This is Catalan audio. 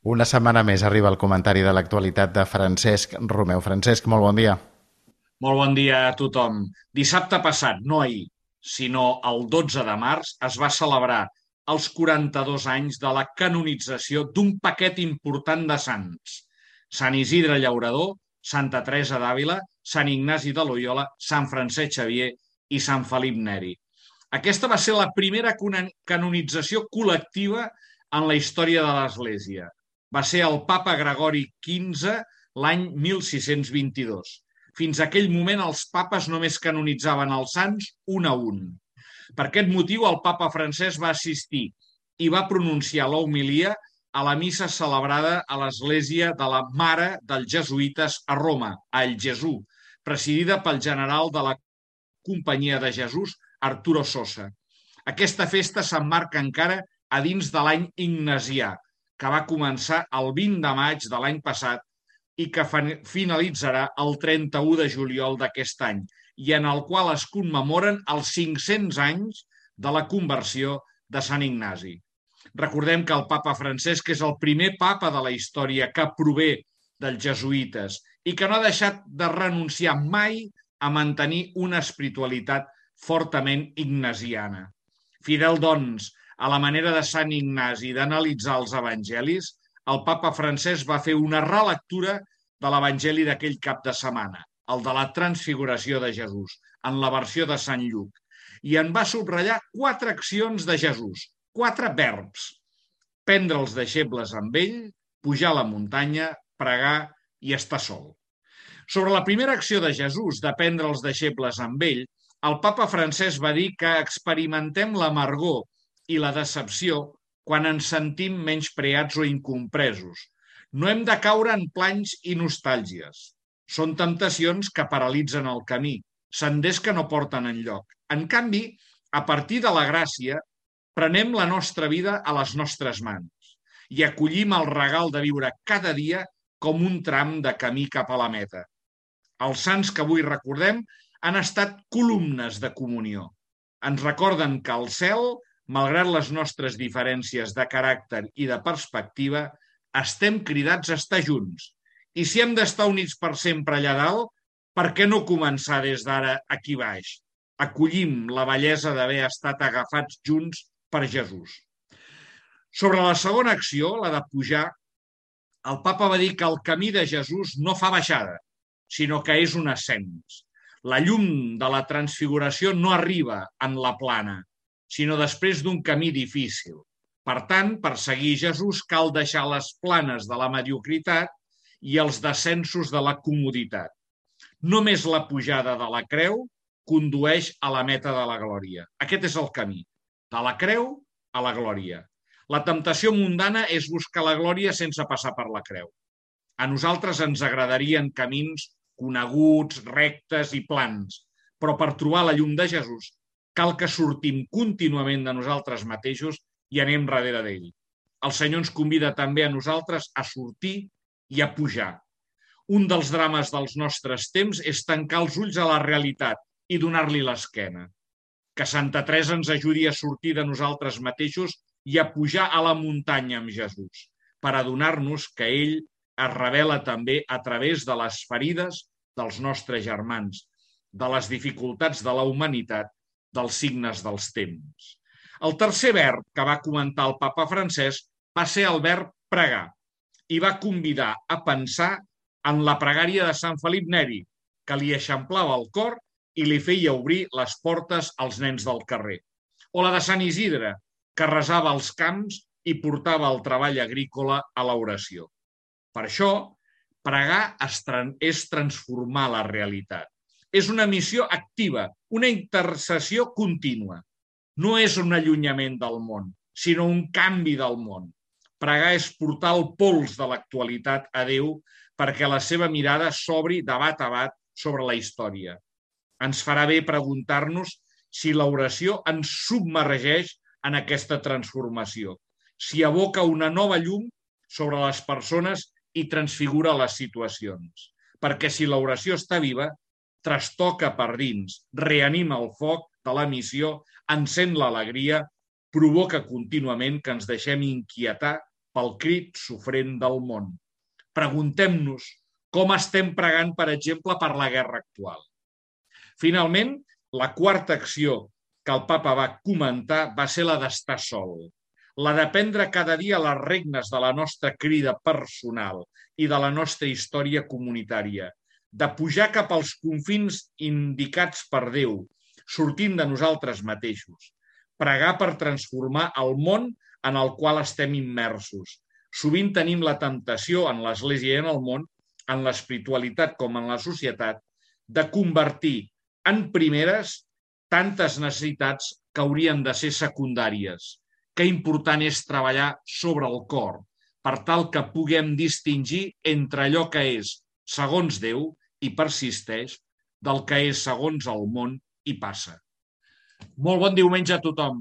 Una setmana més arriba el comentari de l'actualitat de Francesc Romeu. Francesc, molt bon dia. Molt bon dia a tothom. Dissabte passat, no ahir, sinó el 12 de març, es va celebrar els 42 anys de la canonització d'un paquet important de sants. Sant Isidre Llaurador, Santa Teresa d'Àvila, Sant Ignasi de Loiola, Sant Francesc Xavier i Sant Felip Neri. Aquesta va ser la primera canonització col·lectiva en la història de l'Església. Va ser el papa Gregori XV l'any 1622. Fins a aquell moment els papes només canonitzaven els sants un a un. Per aquest motiu el papa Francesc va assistir i va pronunciar l'homilia a la missa celebrada a l'església de la Mare dels Jesuïtes a Roma, a El Gesù, presidida pel general de la Companyia de Jesús, Arturo Sosa. Aquesta festa s'emmarca encara a dins de l'any ignasià, que va començar el 20 de maig de l'any passat i que finalitzarà el 31 de juliol d'aquest any, i en el qual es commemoren els 500 anys de la conversió de Sant Ignasi. Recordem que el papa Francesc és el primer papa de la història que prové dels jesuïtes i que no ha deixat de renunciar mai a mantenir una espiritualitat fortament ignasiana. Fidel, doncs, a la manera de Sant Ignasi d'analitzar els evangelis, el papa Francesc va fer una relectura de l'Evangeli d'aquell cap de setmana, el de la transfiguració de Jesús, en la versió de Sant Lluc, i en va subratllar 4 accions de Jesús, 4 verbs: prendre els deixebles amb ell, pujar a la muntanya, pregar i estar sol. Sobre la primera acció de Jesús de prendre els deixebles amb ell, el papa Francesc va dir que experimentem l'amargor i la decepció quan ens sentim menyspreats o incompresos. No hem de caure en planys i nostàlgies. Són temptacions que paralitzen el camí, senders que no porten enlloc. En canvi, a partir de la gràcia, prenem la nostra vida a les nostres mans i acollim el regal de viure cada dia com un tram de camí cap a la meta. Els sants que avui recordem han estat columnes de comunió. Ens recorden que al cel, malgrat les nostres diferències de caràcter i de perspectiva, estem cridats a estar junts. I si hem d'estar units per sempre allà dalt, per què no començar des d'ara aquí baix? Acollim la bellesa d'haver estat agafats junts per Jesús. Sobre la segona acció, la de pujar, el papa va dir que el camí de Jesús no fa baixada, sinó que és un ascens. La llum de la transfiguració no arriba en la plana, sinó després d'un camí difícil. Per tant, per seguir Jesús cal deixar les planes de la mediocritat i els descensos de la comoditat. Només la pujada de la creu condueix a la meta de la glòria. Aquest és el camí, de la creu a la glòria. La temptació mundana és buscar la glòria sense passar per la creu. A nosaltres ens agradarien camins coneguts, rectes i plans, però per trobar la llum de Jesús cal que sortim contínuament de nosaltres mateixos i anem darrere d'ell. El Senyor ens convida també a nosaltres a sortir i a pujar. Un dels drames dels nostres temps és tancar els ulls a la realitat i donar-li l'esquena. Que Santa Teresa ens ajudi a sortir de nosaltres mateixos i a pujar a la muntanya amb Jesús, per adonar-nos que ell es revela també a través de les ferides dels nostres germans, de les dificultats de la humanitat, dels signes dels temps. El tercer verb que va comentar el papa Francesc va ser el verb pregar i va convidar a pensar en la pregària de Sant Felip Neri, que li eixamplava el cor i li feia obrir les portes als nens del carrer. O la de Sant Isidre, que resava als camps i portava el treball agrícola a l'oració. Per això, pregar és transformar la realitat. És una missió activa, una intercessió contínua. No és un allunyament del món, sinó un canvi del món. Pregar és portar el pols de l'actualitat a Déu perquè la seva mirada s'obri de bat a bat sobre la història. Ens farà bé preguntar-nos si l'oració ens submergeix en aquesta transformació, si aboca una nova llum sobre les persones i transfigura les situacions. Perquè si l'oració està viva, trastoca per dins, reanima el foc de la missió, encén l'alegria, provoca contínuament que ens deixem inquietar pel crit sofrent del món. Preguntem-nos com estem pregant, per exemple, per la guerra actual. Finalment, la quarta acció que el papa va comentar va ser la d'estar sol, la de prendre cada dia les regnes de la nostra crida personal i de la nostra història comunitària, de pujar cap als confins indicats per Déu, sortint de nosaltres mateixos, pregar per transformar el món en el qual estem immersos. Sovint tenim la temptació en l'Església i en el món, en l'espiritualitat com en la societat, de convertir en primeres tantes necessitats que haurien de ser secundàries. Que important és treballar sobre el cor, per tal que puguem distingir entre allò que és segons Déu i persisteix, del que és segons el món i passa. Molt bon diumenge a tothom.